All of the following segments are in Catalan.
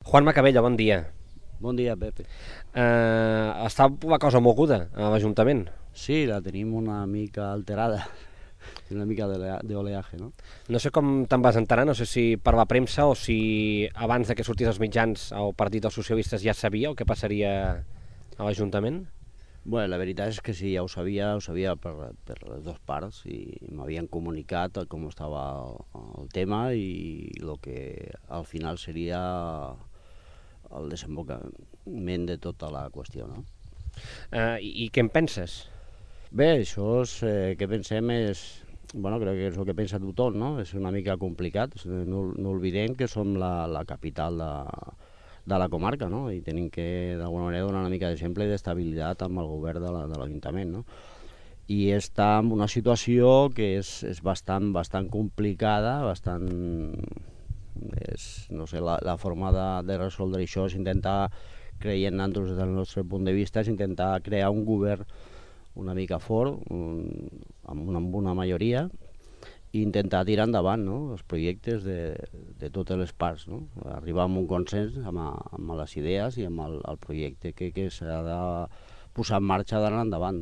Juan Macabella, bon dia. Bon dia, Pepe. Està la cosa moguda a l'Ajuntament. Sí, la tenim una mica alterada, una mica d'oleaje, no? No sé com te'n vas enterar, no sé si per la premsa o si abans de que sortís als mitjans el Partit dels Socialistes ja sabia el que passaria a l'Ajuntament. Bueno, la veritat és que sí, ja ho sabia per les dues parts i m'havien comunicat com estava el tema i el que al final seria el desembocament de tota la qüestió, no? I què en penses? Bé, això és, que pensem és, bueno, crec que és el que pensa tothom, no? És una mica complicat, no oblidem que som la capital de la comarca, no? I tenim que, d'alguna manera, donar una mica d'exemple i d'estabilitat amb el govern de l'Ajuntament, no? I està en una situació que és bastant complicada, no sé, la forma de resoldre això és intentar, creient nosaltres des del nostre punt de vista, és intentar crear un govern una mica fort, amb una majoria, i intentar tirar endavant, no?, els projectes de totes les parts, no? Arribar a un consens amb les idees i amb el projecte que s'ha de posar en marxa d'anar endavant.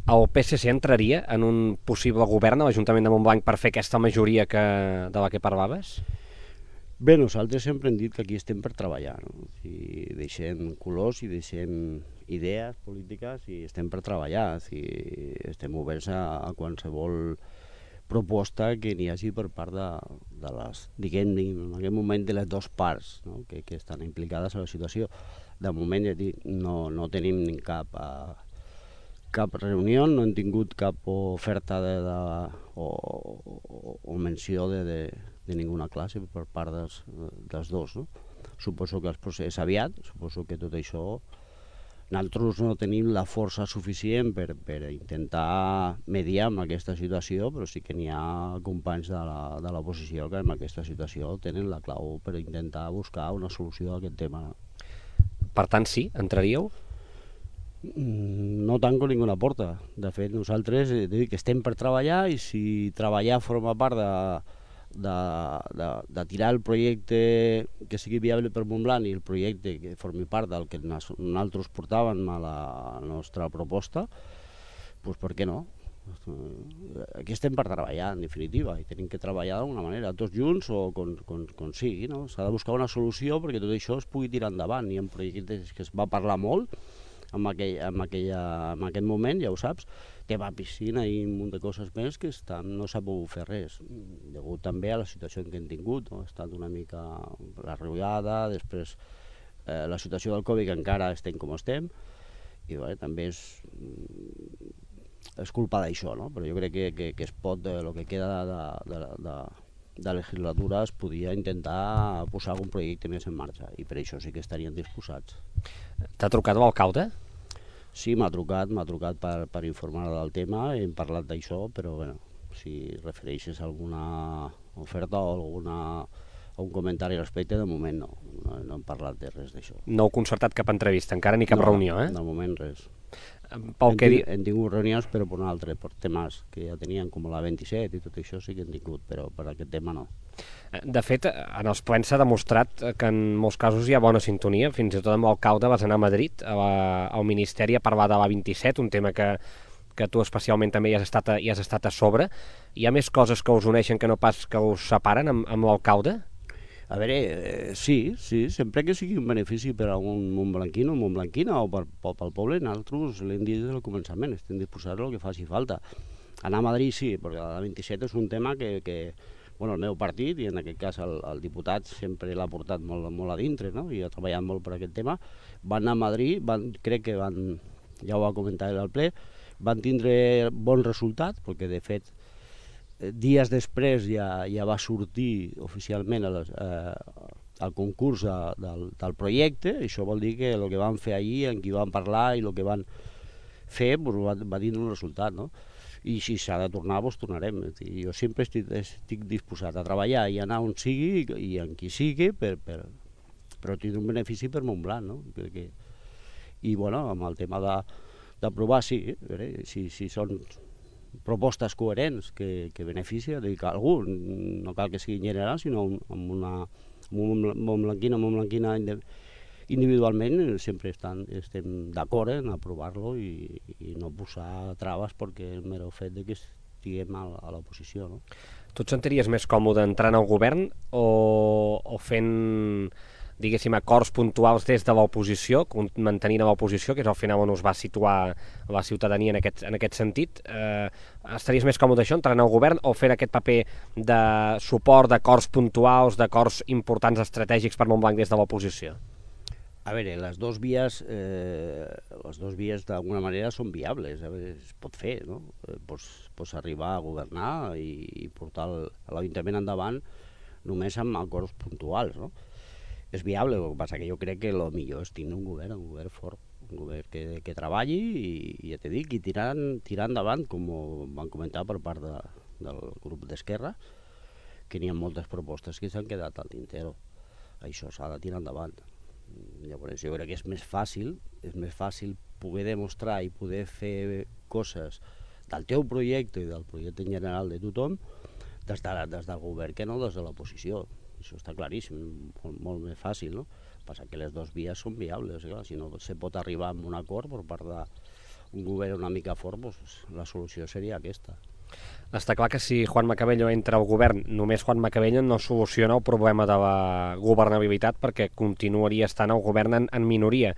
El PSC entraria en un possible govern a l'Ajuntament de Montblanc per fer aquesta majoria de la que parlaves? Bé, nosaltres sempre hem dit que aquí estem per treballar, no? Si deixem colors i deixem idees polítiques i estem per treballar, si estem oberts a qualsevol proposta que n'hi hagi per part de les, diguem, en aquest moment de les dues parts, no?, que estan implicades a la situació. De moment, ja dic, no tenim cap reunió, no hem tingut cap oferta o menció de ninguna classe per part dels dos, no? Suposo que el procés aviat, suposo que tot això nosaltres no tenim la força suficient per intentar mediar amb aquesta situació, però sí que n'hi ha companys de l'oposició que en aquesta situació tenen la clau per intentar buscar una solució a aquest tema. Per tant, sí, entraríeu? No tanco ninguna porta. De fet, nosaltres dic que estem per treballar i si treballar forma part de tirar el projecte que sigui viable per Montblanc i el projecte que formi part del que nosaltres portàvem a la nostra proposta, doncs per què no? Aquí estem per treballar, en definitiva, i tenim que treballar d'alguna manera, tots junts o com sigui, no? S'ha de buscar una solució perquè tot això es pugui tirar endavant. Hi ha projectes que es va parlar molt en aquest moment, ja ho saps, tema piscina i un munt de coses més que no s'ha pogut fer res, degut també a la situació que hem tingut, no? Ha estat una mica la riuada, després la situació del Covid, que encara estem com estem, i bé, també és culpa d'això, no? Però jo crec que es pot, el que queda de legislatura, es podia intentar posar algun projecte més en marxa, i per això sí que estarien disposats. T'ha trucat l'alcalde? Sí, m'ha trucat per informar del tema, hem parlat d'això, però bueno, si refereixes a alguna oferta o algun comentari al respecte, de moment no hem parlat de res d'això. No heu concertat cap entrevista, encara ni cap reunió, eh? De moment res. Hem tingut reunions, però per un altre, per temes que ja tenien, com la 27 i tot això sí que hem tingut, però per aquest tema no. De fet, en els plens s'ha demostrat que en molts casos hi ha bona sintonia. Fins i tot amb l'alcalde vas anar a Madrid, al Ministeri, a parlar de l'A27, un tema que tu especialment també hi has estat a sobre. Hi ha més coses que us uneixen que no pas que us separen amb l'alcalde? A veure, sí, sempre que sigui un benefici per a un montblanquino o montblanquina o pel poble, nosaltres l'hem dit des del començament, estem disposats al que faci falta. Anar a Madrid sí, perquè la 27 és un tema que bueno, el meu partit, i en aquest cas el diputat, sempre l'ha portat molt a dintre, no?, i ha treballat molt per aquest tema. Van anar a Madrid, crec que ja ho va comentar al ple, van tindre bon resultat, perquè de fet dies després ja va sortir oficialment el concurs del projecte. Això vol dir que el que van fer allí, en qui van parlar i el que van fer, va tindre un resultat, no? I si s'ha de tornar, doncs tornarem. Jo sempre estic disposat a treballar i anar on sigui i en qui sigui, però tindre un benefici per Montblanc, no? I bueno, amb el tema d'aprovar, sí, si són propostes coherents que beneficien a algú, no cal que sigui general, sinó amb Montblanquina individualment sempre estem d'acord en aprovar-lo i no posar traves perquè el mero fet de que estiguem a l'oposició, no? Tu et sentiries més còmode entrant al govern o fent, diguéssim, acords puntuals des de l'oposició, mantenint a l'oposició, que és al final on us va situar la ciutadania en aquest sentit? Estaries més còmode això, entrant al govern, o fer aquest paper de suport d'acords puntuals, d'acords importants estratègics per Montblanc des de l'oposició? A veure, les dues vies d'alguna manera són viables, es pot fer, no? Pots arribar a governar i portar l'Ajuntament endavant només amb acords puntuals, no? És viable, el que passa que jo crec que el millor és tenir un govern fort, un govern que treballi i ja t'he dit, i tirar endavant, com van comentar per part del grup d'Esquerra, que n'hi ha moltes propostes que s'han quedat al tintero. Això s'ha de tirar endavant. Llavors jo crec que és més fàcil poder demostrar i poder fer coses del teu projecte i del projecte en general de tothom des del govern que no des de l'oposició. Això està claríssim, molt més fàcil, no? Passa que les dues vies són viables, clar, si no se pot arribar a un acord per part d'un govern una mica fort, doncs la solució seria aquesta. Està clar que si Juan Macabello entra al govern, només Juan Macabello no soluciona el problema de la governabilitat perquè continuaria estant al govern en minoria.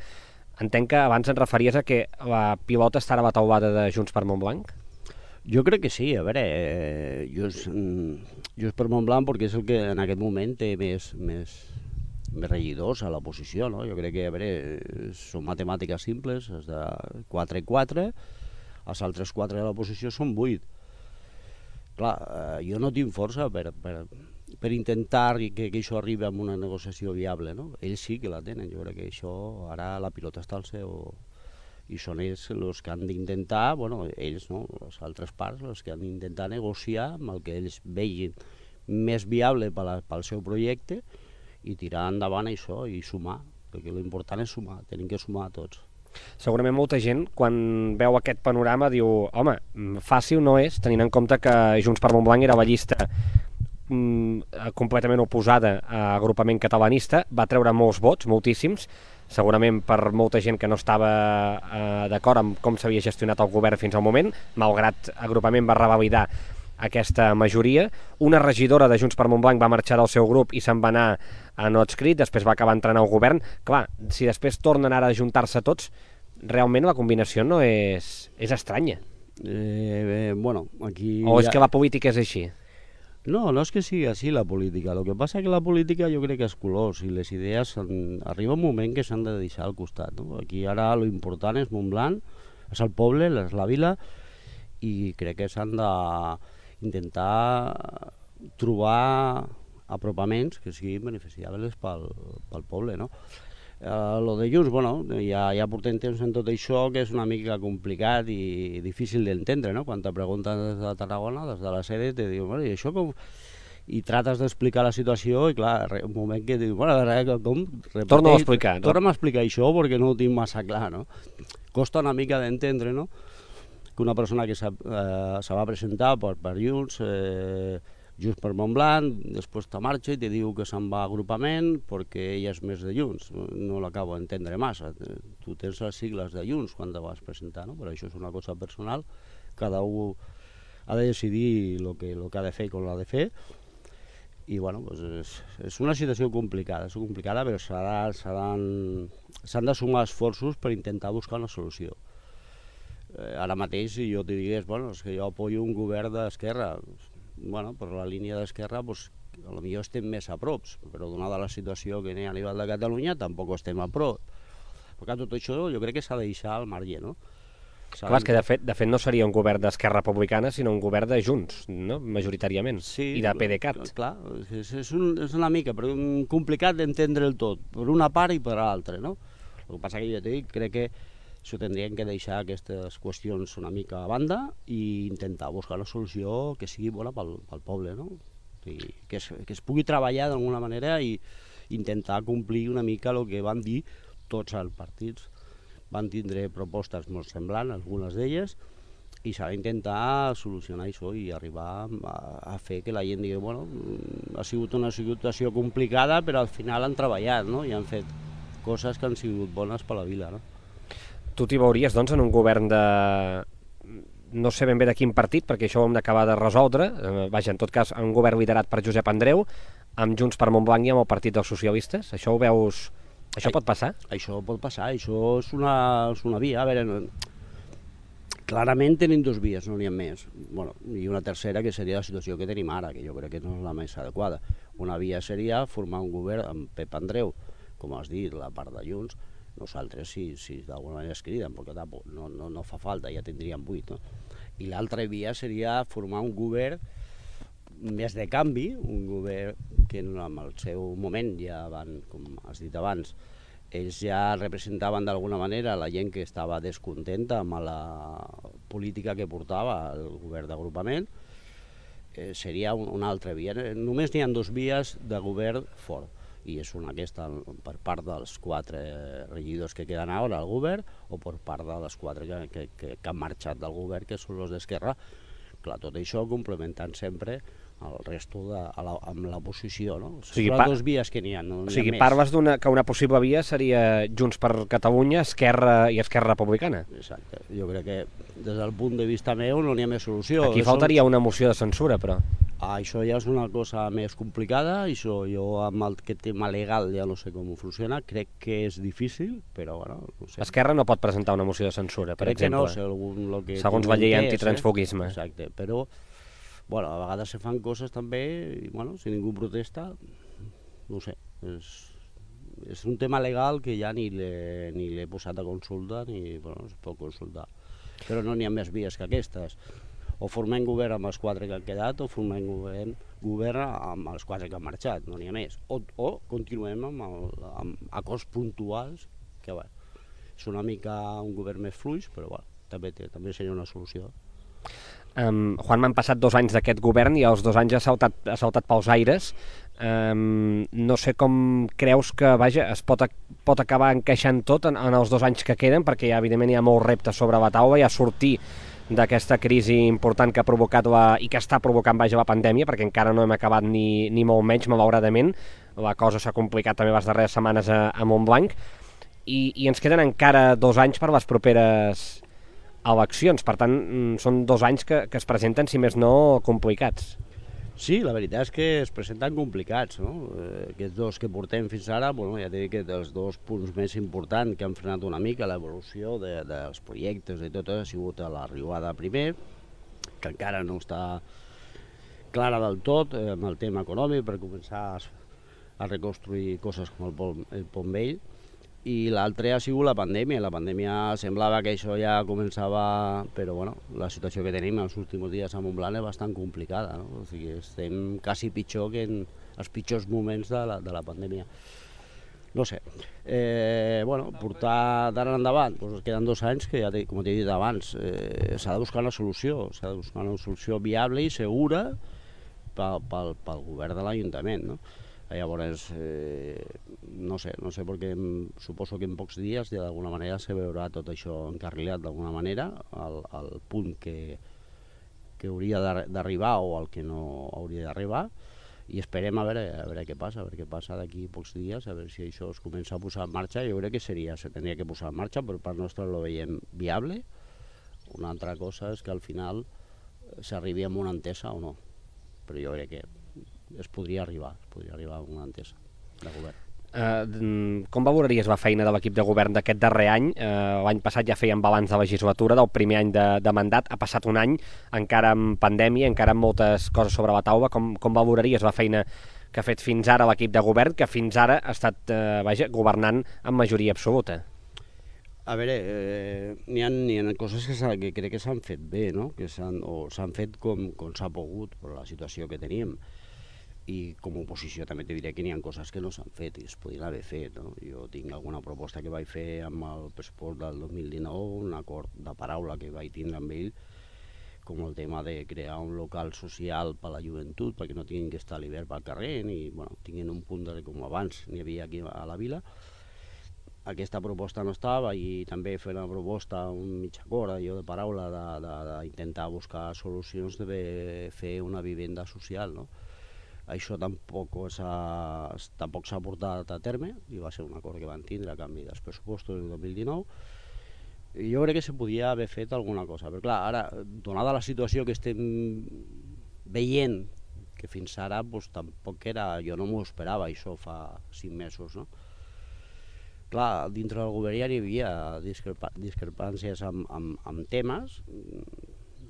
Entenc que abans et referies a que la pilota estarà a la taulada de Junts per Montblanc? Jo crec que sí, a veure, Junts per Montblanc perquè és el que en aquest moment té més regidors a l'oposició, no? Jo crec que, a veure, són matemàtiques simples, és de 4 i 4, els altres 4 de l'oposició són 8. Clar, jo no tinc força per intentar que això arribi a una negociació viable, no? Ells sí que la tenen, jo crec que això ara la pilota està al seu... I són ells els que han d'intentar, bueno, ells no, les altres parts, els que han d'intentar negociar amb el que ells vegin més viable pel seu projecte i tirar endavant això i sumar, perquè l'important és sumar, tenim que sumar tots. Segurament molta gent, quan veu aquest panorama, diu home, fàcil no és, tenint en compte que Junts per Montblanc era la llista completament oposada a agrupament catalanista, va treure molts vots, moltíssims, segurament per molta gent que no estava d'acord amb com s'havia gestionat el govern fins al moment, malgrat agrupament va revalidar aquesta majoria. Una regidora de Junts per Montblanc va marxar del seu grup i se'n va anar a no adscrit, després va acabar entrant al govern. Clar, si després tornen ara a ajuntar-se tots, realment la combinació no és estranya. Bueno, aquí... O és que la política és així? No, no és que sigui així la política. El que passa és que la política jo crec que és colors i les idees arriba un moment que s'han de deixar al costat, no? Aquí ara l'important és Montblanc, és el poble, és la vila, i crec que s'han d'intentar trobar apropaments que siguin beneficiables pel poble, no? Lo de Junts, bueno, ja portem temps en tot això que és una mica complicat i difícil d'entendre, no? Quan te pregunten des de Tarragona, des de la sede, te diuen, bueno, i això com... I trates d'explicar la situació i clar, un moment que dius, bueno, com... Torna-ho a explicar, no? Torna'm a explicar això perquè no ho tinc massa clar, no? Costa una mica d'entendre, no? Que una persona que se va presentar per Junts, Junts per Montblanc, després te marxa i te diu que se'n va a agrupament perquè ella és més de Junts. No l'acabo d'entendre massa. Tu tens les sigles de Junts quan te vas presentar, no? Però això és una cosa personal. Cada un ha de decidir el que ha de fer i com l'ha de fer. I bueno, doncs és una situació complicada, però s'han de sumar esforços per intentar buscar una solució. Ara mateix, si jo te digués, bueno, és que jo apoyo un govern d'esquerra, bueno, per la línia d'esquerra, doncs, potser estem més a prop, però donada la situació que n'hi ha a nivell de Catalunya, tampoc estem a prop. Perquè tot això jo crec que s'ha de deixar al marge, no? Clar, és que de fet no seria un govern d'Esquerra Republicana, sinó un govern de Junts, no? Majoritàriament, sí, i de PDeCAT. Clar, és una mica complicat d'entendre el tot, per una part i per l'altra, no? El que passa que jo t'he dit, crec que s'ho tindrien que deixar aquestes qüestions una mica a banda i intentar buscar una solució que sigui bona pel poble, no? Que es pugui treballar d'alguna manera i intentar complir una mica el que van dir tots els partits. Van tindre propostes molt semblants, algunes d'elles, i s'ha d'intentar solucionar això i arribar a fer que la gent digui, bueno, ha sigut una situació complicada, però al final han treballat, no? I han fet coses que han sigut bones per la vila, no? Tu t'hi veuries, doncs, en un govern de... no sé ben bé de quin partit, perquè això ho hem d'acabar de resoldre, vaja, en tot cas, un govern liderat per Josep Andreu, amb Junts per Montblanc i amb el Partit dels Socialistes. Això ho veus... Això pot passar? Això pot passar, això és una via. A veure, clarament tenim dues vies, no n'hi ha més. Bueno, i una tercera, que seria la situació que tenim ara, que jo crec que no és la més adequada. Una via seria formar un govern amb Pep Andreu, com has dit, la part de Junts. Nosaltres, si d'alguna manera es criden, perquè no fa falta, ja tindríem 8. No? I l'altra via seria formar un govern més de canvi, un govern que en el seu moment ja van, com has dit abans, ells ja representaven d'alguna manera la gent que estava descontenta amb la política que portava el govern d'agrupament. Seria una altra via. Només n'hi ha dues vies de govern fort, i és una aquesta per part dels 4 regidors que queden ara al govern o per part de les 4 que han marxat del govern, que són els d'Esquerra. Clar, tot això complementant sempre el resto amb l'oposició, no? Són les dues vies que n'hi ha, no n'hi ha més. O sigui, parles que una possible via seria Junts per Catalunya, Esquerra i Esquerra Republicana. Exacte. Jo crec que des del punt de vista meu no n'hi ha més solució. Aquí faltaria una moció de censura, però. Això ja és una cosa més complicada, això jo amb aquest tema legal ja no sé com funciona, crec que és difícil, però bueno, no sé. Esquerra no pot presentar una moció de censura, per exemple. Crec que no, segons la llei antitransfoguisme. Exacte, però bueno, a vegades se fan coses també, i bueno, si ningú protesta, no sé, és un tema legal que ja ni l'he posat a consulta, ni bueno, es pot consultar. Però no n'hi ha més vies que aquestes. O formem govern amb els 4 que han quedat, o formem govern amb els 4 que han marxat, no n'hi ha més. O continuem amb acords puntuals, que bueno, és una mica un govern més fluix, però bueno, també seria una solució. Juan, m'han passat 2 anys d'aquest govern i els 2 anys ha saltat pels aires. No sé com creus que es pot acabar encaixant tot en els 2 anys que queden, perquè ja, evidentment hi ha molts reptes sobre la taula, ja sortir d'aquesta crisi important que ha provocat i que està provocant la pandèmia, perquè encara no hem acabat ni molt menys, malauradament. La cosa s'ha complicat també les darreres setmanes a Montblanc, i ens queden encara 2 anys per les properes eleccions. Per tant, són 2 anys que es presenten, si més no, complicats. Sí, la veritat és que es presenten complicats, no? Aquests 2 que portem fins ara, bueno, ja t'he dit que dels 2 punts més importants que han frenat una mica l'evolució dels projectes i tot ha sigut l'arribada primer, que encara no està clara del tot amb el tema econòmic per començar a reconstruir coses com el Pont Vell, i l'altre ha sigut la pandèmia. La pandèmia semblava que això ja començava, però bueno, la situació que tenim els últims dies a Montblanc és bastant complicada, no? O sigui, estem quasi pitjor que en els pitjors moments de la pandèmia. No sé, bueno, portar d'ara endavant, doncs queden 2 anys que, ja com t'he dit abans, s'ha de buscar una solució viable i segura pel govern de l'Ajuntament, no? Llavors, no sé, perquè suposo que en pocs dies ja d'alguna manera se veurà tot això encarrilat d'alguna manera, al punt que hauria d'arribar o al que no hauria d'arribar, i esperem a veure què passa d'aquí pocs dies, a veure si això es comença a posar en marxa. Jo crec que se tindria que posar en marxa, per part nostra lo veiem viable. Una altra cosa és que al final s'arribi a una entesa o no, però jo crec que es podria arribar a una entesa de govern. Com valoraries la feina de l'equip de govern d'aquest darrer any? L'any passat ja feien balanç de legislatura, del primer any de mandat. Ha passat un any, encara amb pandèmia, encara amb moltes coses sobre la taula. Com valoraries la feina que ha fet fins ara l'equip de govern, que fins ara ha estat governant amb majoria absoluta? A veure, n'hi ha coses que crec que s'han fet bé, no? S'han fet com s'ha pogut per la situació que teníem. I com a oposició també te diré que n'hi ha coses que no s'han fet i es podrien haver fet, no? Jo tinc alguna proposta que vaig fer amb el pressupost del 2019, un acord de paraula que vaig tindre amb ell, com el tema de crear un local social per a la joventut, perquè no tinguin que estar a l'hivern pel carrer, ni tinguin un punt com abans n'hi havia aquí a la vila. aquesta proposta no estava i també fer una proposta, un mig acord, allò de paraula, d'intentar buscar solucions de fer una vivenda social, no? Això tampoc s'ha portat a terme i va ser un acord que van tindre a canvi dels pressupostos del 2019 i jo crec que se podia haver fet alguna cosa, però clar, ara, donada la situació que estem veient, que fins ara doncs, tampoc era, jo no m'ho esperava això fa 5 mesos, no? Clar, dintre del govern ja hi havia discrepàncies amb temes,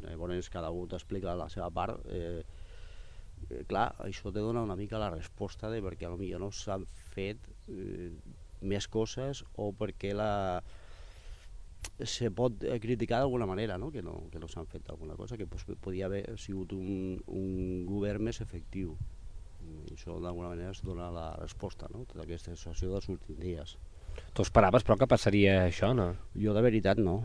llavors cada un t'explica la seva part. Clar, això te dona una mica la resposta de perquè potser no s'han fet més coses o perquè se pot criticar d'alguna manera, no? Que no s'han fet alguna cosa, que podia haver sigut un govern més efectiu. I això d'alguna manera es dona la resposta, no? Tota aquesta situació dels últims dies. Tu esperaves, però, que passaria això, no? Jo de veritat no.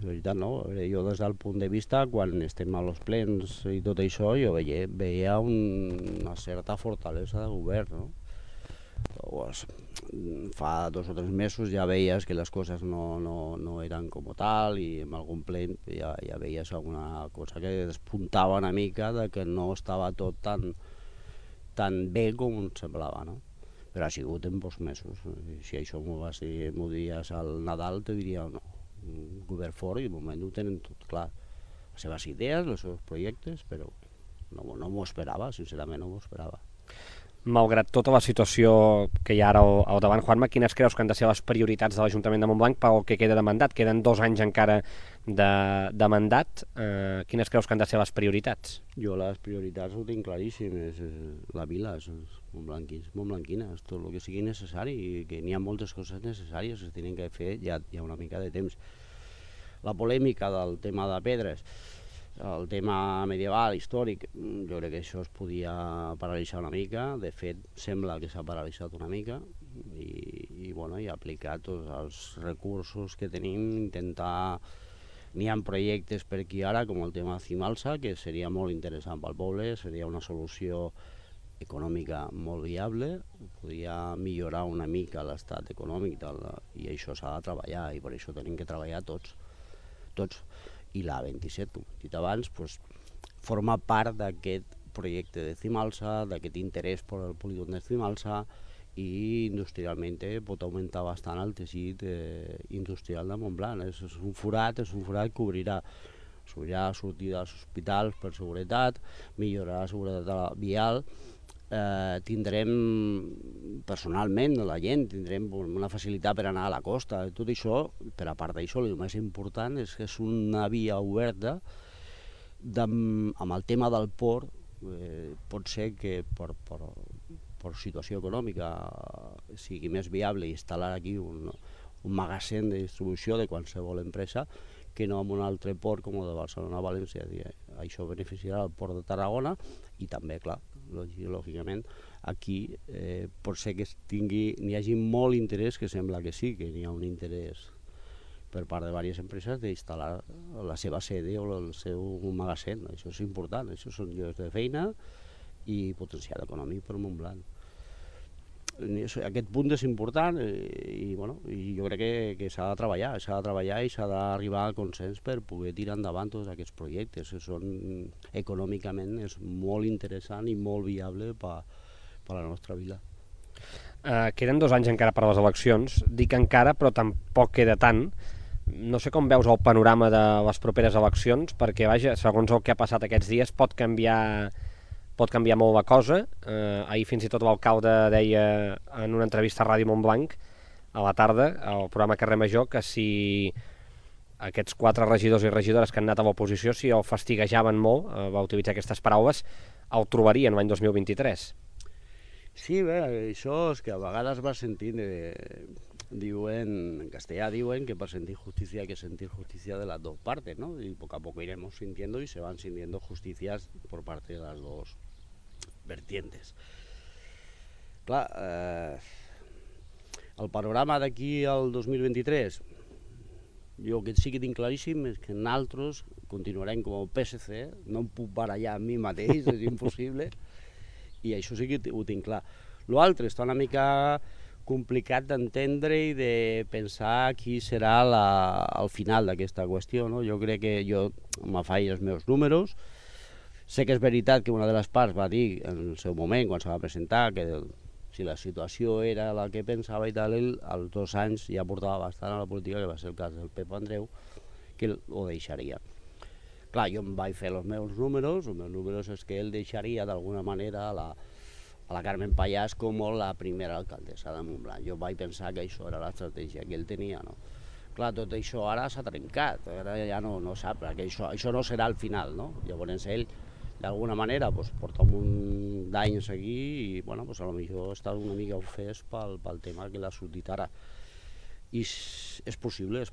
Jo des del punt de vista, quan estem a los plens i tot això, jo veia una certa fortalesa de govern, no? Llavors, fa 2 o 3 mesos ja veies que les coses no eren com tal i en algun ple ja veies alguna cosa que despuntava una mica de que no estava tot tan bé com semblava, no? Però ha sigut en pocs mesos. Si això m'ho diries al Nadal, te diria no, un govern fort i de moment ho tenen tot clar. Les seves idees, els seus projectes, però no m'ho esperava, sincerament no m'ho esperava. Malgrat tota la situació que hi ha ara al davant, Juanma, quines creus que han de ser les prioritats de l'Ajuntament de Montblanc pel que queda de mandat? Queden 2 anys encara de mandat. Quines creus que han de ser les prioritats? Jo les prioritats ho tinc claríssim, és la vila, és montblanquines, tot el que sigui necessari, i que n'hi ha moltes coses necessàries que es tenen que fer ja una mica de temps. La polèmica del tema de pedres, el tema medieval, històric, jo crec que això es podia paralitzar una mica. De fet, sembla que s'ha paralitzat una mica i aplicar tots els recursos que tenim, intentar... N'hi ha projectes per aquí ara, com el tema de Cimalsa, que seria molt interessant pel poble, seria una solució econòmica molt viable, podria millorar una mica l'estat econòmic i això s'ha de treballar i per això tenim que treballar tots. I la 27, com he dit abans, forma part d'aquest projecte de Cimalsa, d'aquest interès per el polígon de Cimalsa i industrialment pot augmentar bastant el teixit industrial de Montblanc. És un forat que obrirà sortir dels hospitals per seguretat, millorarà la seguretat vial, tindrem personalment la gent, tindrem una facilitat per anar a la costa, tot això, per a part d'això, el més important és que és una via oberta amb el tema del port. Pot ser que per situació econòmica sigui més viable instal·lar aquí un magatzem de distribució de qualsevol empresa que no en un altre port com el de Barcelona-València. Això beneficiarà el port de Tarragona i també, clar, lògicament, aquí pot ser que n'hi hagi molt interès, que sembla que sí, que n'hi ha un interès per part de diverses empreses d'instal·lar la seva sede o el seu magatzem. Això és important, això són llocs de feina i potencial econòmic per Montblanc. Aquest punt és important i jo crec que s'ha de treballar i s'ha d'arribar a consens per poder tirar endavant tots aquests projectes que són econòmicament és molt interessant i molt viable per a la nostra vila. Queden 2 anys encara per a les eleccions, dic encara però tampoc queda tant. No sé com veus el panorama de les properes eleccions, perquè vaja, segons el que ha passat aquests dies pot canviar molt la cosa. Ahir fins i tot l'alcalde deia en una entrevista a Ràdio Montblanc a la tarda, al programa Carrer Major, que si aquests 4 regidors i regidores que han anat a l'oposició, si el fastiguejaven molt, va utilitzar aquestes paraules, el trobarien l'any 2023. Sí, bé, això és que a vegades vas sentint, en castellà diuen que per sentir justicia hay que sentir justicia de las dos partes, ¿no? Y poco a poco iremos sintiendo y se van sintiendo justicias por parte de las dos vertientes. Clar, el panorama d'aquí al 2023, jo que sí que tinc claríssim és que nosaltres continuarem com el PSC, no em puc barallar amb mi mateix, és impossible, i això sí que ho tinc clar. L'altre està una mica complicat d'entendre i de pensar qui serà el final d'aquesta qüestió, no? Jo crec que jo me faig els meus números. Sé que és veritat que una de les parts va dir en el seu moment, quan se va presentar, que si la situació era la que pensava i tal, ell als 2 anys ja portava bastant a la política, que va ser el cas del Pep Andreu, que ho deixaria. Clar, jo em vaig fer els meus números és que ell deixaria d'alguna manera a la Carmen Pallàs com la primera alcaldessa de Montblanc. Jo vaig pensar que això era l'estratègia que ell tenia, no? Clar, tot això ara s'ha trencat, ara ja no sap, que això no serà el final, no? Llavors ell, d'alguna manera, porta un munt d'anys aquí i, bueno, potser està una mica ofès pel tema que l'ha sortit ara. I és possible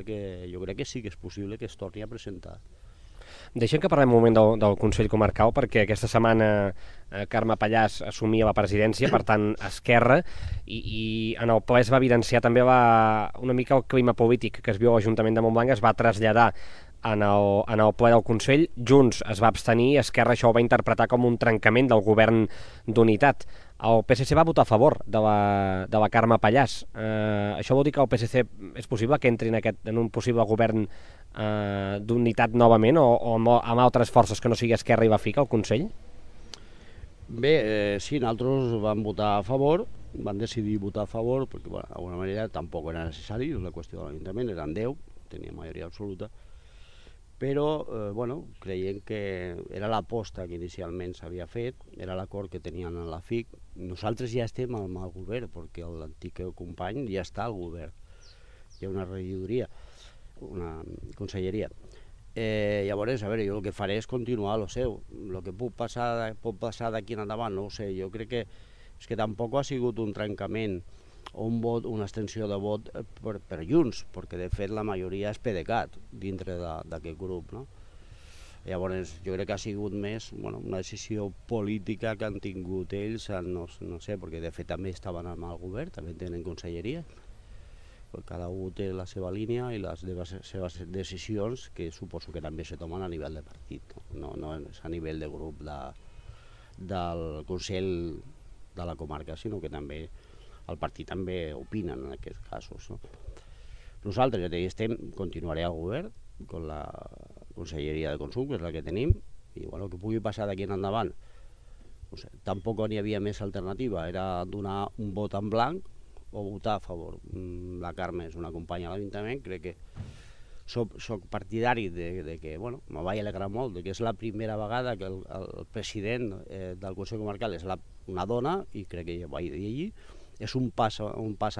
que, jo crec que sí que és possible que es torni a presentar. Deixem que parlem un moment del Consell Comarcal, perquè aquesta setmana Carme Pallàs assumia la presidència, per tant Esquerra, i en el ple es va evidenciar també una mica el clima polític que es viu a l'Ajuntament de Montblanc, es va traslladar en el ple del Consell. Junts es va abstenir, Esquerra això ho va interpretar com un trencament del govern d'unitat. El PSC va votar a favor de la Carme Pallàs. Això vol dir que el PSC és possible que entri en un possible govern d'unitat novament, o amb altres forces que no sigui Esquerra i va ficar al Consell? Bé, sí, nosaltres vam votar a favor, van decidir votar a favor, perquè d'alguna manera tampoc era necessari, la qüestió de l'Ajuntament, eren 10, tenia majoria absoluta, però creient que era l'aposta que inicialment s'havia fet, era l'acord que tenien en la FIC. Nosaltres ja estem amb el govern, perquè l'antic company ja està al govern. Hi ha una regidoria, una conselleria. Llavors, a veure, jo el que faré és continuar el seu. El que pot passar d'aquí en endavant, no ho sé. Jo crec que és que tampoc ha sigut un trencament o un vot, una extensió de vot per Junts, perquè de fet la majoria és PDeCAT dintre d'aquest grup, no? Llavors jo crec que ha sigut més una decisió política que han tingut ells, no sé, perquè de fet també estaven amb el govern, també tenen conselleria, cada un té la seva línia i les seves decisions, que suposo que també se tomen a nivell de partit, no és a nivell de grup del Consell de la comarca, sinó que també el partit també opina en aquests casos, no? Nosaltres ja continuaré al govern amb la Conselleria de Consum, que és la que tenim, i el que pugui passar d'aquí en endavant, no sé, tampoc n'hi havia més alternativa, era donar un vot en blanc o votar a favor. La Carme és una companya a l'Ajuntament, crec que soc partidari de que, me vaig alegrar molt, que és la primera vegada que el president del Consell Comarcal és una dona, i crec que ja ho vaig dir allí. És un pas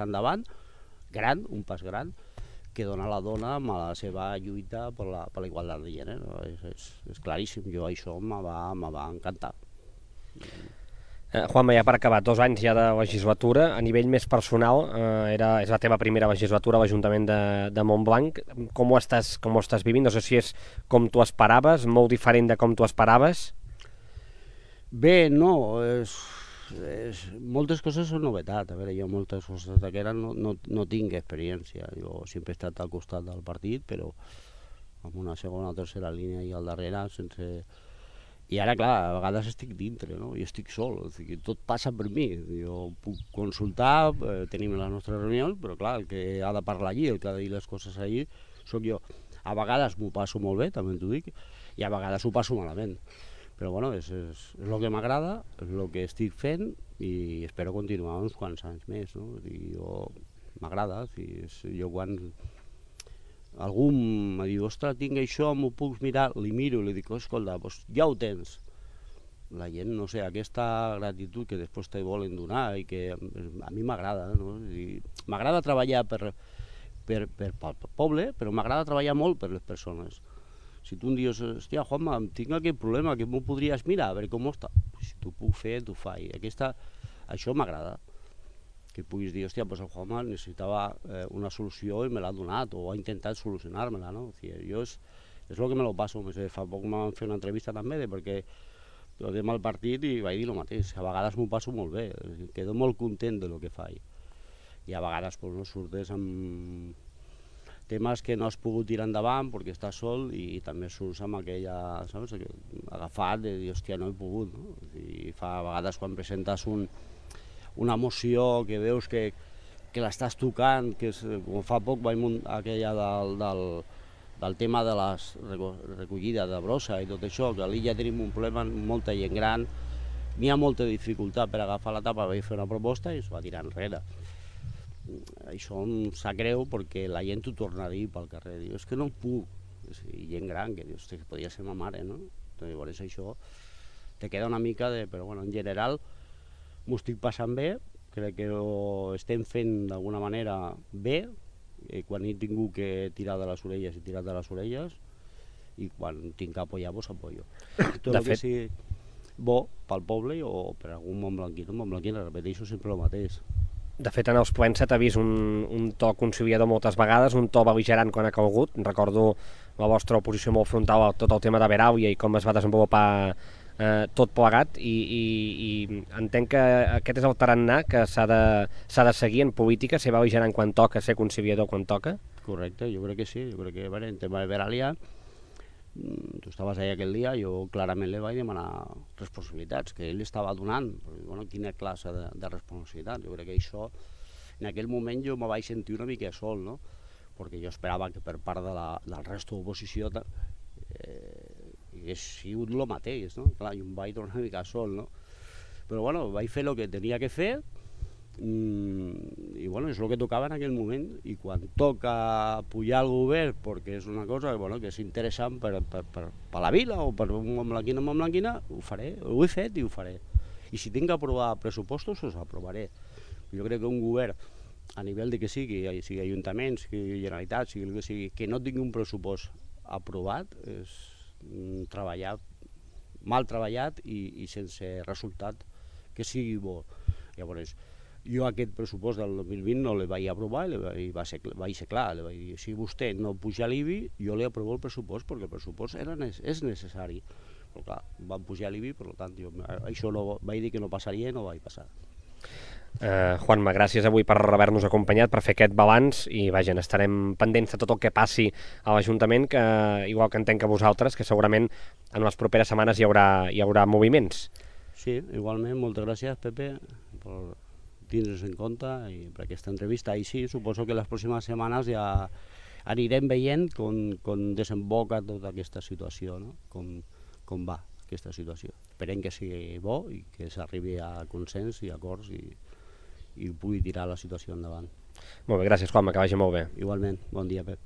endavant, gran, un pas gran, que dona la dona amb la seva lluita per la igualtat de gènere. És claríssim, jo això me va encantar. Juanma, ja per acabar, 2 anys ja de legislatura. A nivell més personal, és la teva primera legislatura a l'Ajuntament de Montblanc. Com ho estàs vivint? No sé si és com tu esperaves, molt diferent de com tu esperaves. Bé, no, moltes coses són novetat. A veure, jo moltes coses d'aquestes no tinc experiència. Jo sempre he estat al costat del partit, però amb una segona o tercera línia i al darrere sense... I ara, clar, a vegades estic dintre, no? I estic sol, o sigui, tot passa per mi. Jo puc consultar, tenim les nostres reunions, però clar, el que ha de parlar allí, el que ha de dir les coses allí, sóc jo. A vegades m'ho passo molt bé, també t'ho dic, i a vegades ho passo malament. Però és el que m'agrada, és el que estic fent, i espero continuar uns quants anys més, no? M'agrada, jo quan algú em diu, ostres, tinc això, m'ho puc mirar, li miro i li dic, escolta, ja ho tens. La gent, no sé, aquesta gratitud que després te volen donar i que a mi m'agrada, no? M'agrada treballar pel poble, però m'agrada treballar molt per les persones. Si tu em dius, hòstia, Juanma, tinc aquest problema, que m'ho podries mirar, a veure com està. Si t'ho puc fer, t'ho faig. Això m'agrada. Que puguis dir, hòstia, el Juanma necessitava una solució i me l'ha donat, o ha intentat solucionar-me-la, no? Jo és el que me lo passo. Fa poc m'han fet una entrevista també, perquè tornem al partit i vaig dir el mateix. A vegades m'ho passo molt bé, quedo molt content del que faig. I a vegades surtes amb temes que no has pogut tirar endavant perquè estàs sol, i també surts amb aquella, saps, agafat de dir, hòstia, no he pogut, no? A vegades quan presentes una moció que veus que que l'estàs tocant, que és, com fa poc vaig muntar aquella del tema de la recollida de brossa i tot això, que a l'illa tenim un problema amb molta gent gran, n'hi ha molta dificultat per agafar la tapa, vaig fer una proposta i es va tirar enrere. Això em sap greu perquè la gent t'ho torna a dir pel carrer, diu, és que no puc, i gent gran, que dius, que podria ser ma mare, no? Llavors això te queda una mica de... Però bueno, en general m'ho estic passant bé, crec que ho estem fent d'alguna manera bé, quan he tingut que tirar de les orelles he tirat de les orelles, i quan tinc que apoyar, doncs apoyo. Tot el que sigui bo pel poble o per algun montblanquí, repeteixo sempre el mateix. De fet, en els plens s'ha vist un to conciliador moltes vegades, un to bel·ligerant quan ha calgut. Recordo la vostra oposició molt frontal a tot el tema de Veràvia i com es va desenvolupar tot plegat, i entenc que aquest és el tarannà que s'ha de seguir en política, ser bel·ligerant quan toca, ser conciliador quan toca. Correcte, jo crec que sí, jo crec que en tema de Veràlia, tu estaves allà aquell dia, jo clarament li vaig demanar responsabilitats que ell estava donant, bueno, quina classe de responsabilitat. Jo crec que això, en aquell moment jo me vaig sentir una mica sol, no? Perquè jo esperava que per part del resto d'oposició hagués sigut el mateix, no? Clar, jo em vaig tornar una mica sol, no? Però bueno, vaig fer el que tenia que fer, i bueno, és el que tocava en aquell moment, i quan toca pujar al govern perquè és una cosa que és interessant per la vila o per un montblanquina, ho faré, ho he fet i ho faré, i si tinc que aprovar pressupostos els aprovaré. Jo crec que un govern a nivell de que sigui ajuntaments, sigui Generalitat, sigui el que sigui, que no tingui un pressupost aprovat és treballar mal treballat i sense resultat que sigui bo. Llavors, jo aquest pressupost del 2020 no el vaig aprovar i vaig ser clar, li vaig dir, si vostè no puja l'IBI, jo li aprovo el pressupost perquè el pressupost és necessari. Però clar, van pujar l'IBI, per tant, jo això no, vaig dir que no passaria i no vaig passar. Juanma, gràcies avui per haver-nos acompanyat, per fer aquest balanç, i vaja, estarem pendents de tot el que passi a l'Ajuntament, que igual que entenc que vosaltres, que segurament en les properes setmanes hi haurà moviments. Sí, igualment, moltes gràcies, Pepe, per tindre's en compte i per aquesta entrevista. I sí, suposo que les pròximes setmanes ja anirem veient com desemboca tota aquesta situació, no? Com va aquesta situació. Esperem que sigui bo i que s'arribi a consens i acords i pugui tirar la situació endavant. Molt bé, gràcies, Juanma, que vagi molt bé. Igualment, bon dia, Pep.